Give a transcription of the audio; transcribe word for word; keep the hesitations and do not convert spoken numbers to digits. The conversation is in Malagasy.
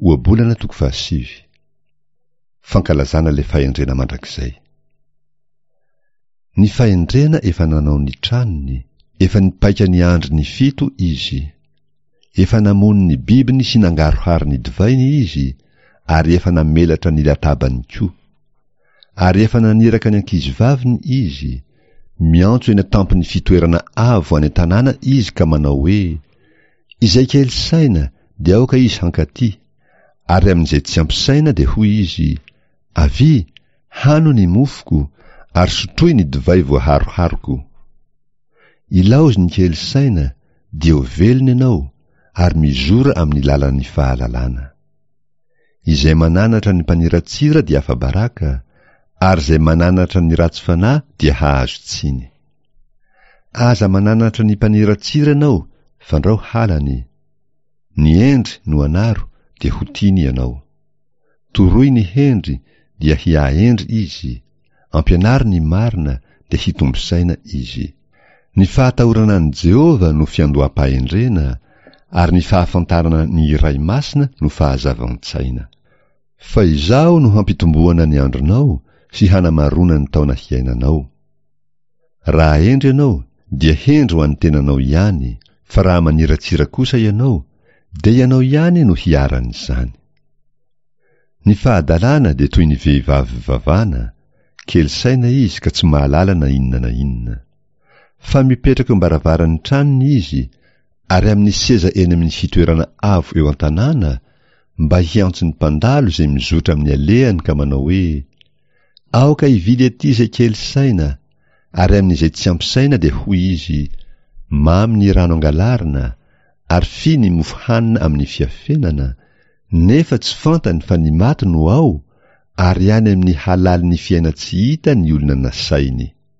Ohabolana toko fahasivy. Fankalazana ilay fahendrena mandrakizay. Ny fahendrena efa nanao ny tranony, efa nipaika ny andriny fito izy. Efa namono ny bibiny sy nangaroharo ny divainy izy, ary efa namelatra ny latabany koa. Ary efa naniraka ny ankizivaviny izy, miantso eny an-tampon'ny fitoerana avo any an-tanàna izy ka manao hoe, Izay kely saina dia aoka izy hankaty, ary amin'izay tsy ampy saina dia hoy izy, Avia, hano ny mofoko, ary sotroy ny divay voaharoharoko. Ilaozy ny kely saina, dia ho velona ianao, ary mizora amin'ny lalan'ny fahalalana. Izay mananatra ny mpaniratsira dia afa-baraka, ary izay mananatra ny ratsy fanahy dia hahazo tsiny. Aza mananatra ny mpaniratsira ianao, fandrao halany. Ny hendry no anaro, dia ho tiany ianao. Toroy ny hendry, dia hiahendry izy, ampianaro ny marina, dia hitombo saina izy. Ny fahatahorana an'i Jehovah no fiandoham-pahendrena, ary ny fahafantarana ny Iray Masina no fahazavan-tsaina. Fa Izaho no hampitomboana ny andronao sy hanamaroana ny taona hiainanao. Raha hendry ianao, dia hendry ho an'ny tenanao ihany, fa raha maniratsira kosa ianao, dia ianao ihany no hiharan'izany. Ny fahadalana dia toy ny vehivavy vavana, kely saina izy ka tsy mahalala na inona na inona. Fa mipetraka eo am-baravaran'ny tranony izy, ary amin'ny seza eny amin'ny fitoerana avo eo an-tanàna, mba hiantso ny mpandalo izay mizotra amin'ny alehany ka manao hoe, Aoka hividy aty izay kely saina, ary amin'izay tsy ampy saina dia hoy izy, Mamy ny rano angalarina, ary fy ny mofo hanina amin'ny fiafenana, nefa tsy fantany fa ny maty no ao, ary any amin'ny halalin'ny fiainan-tsy hita ny olona nasainy.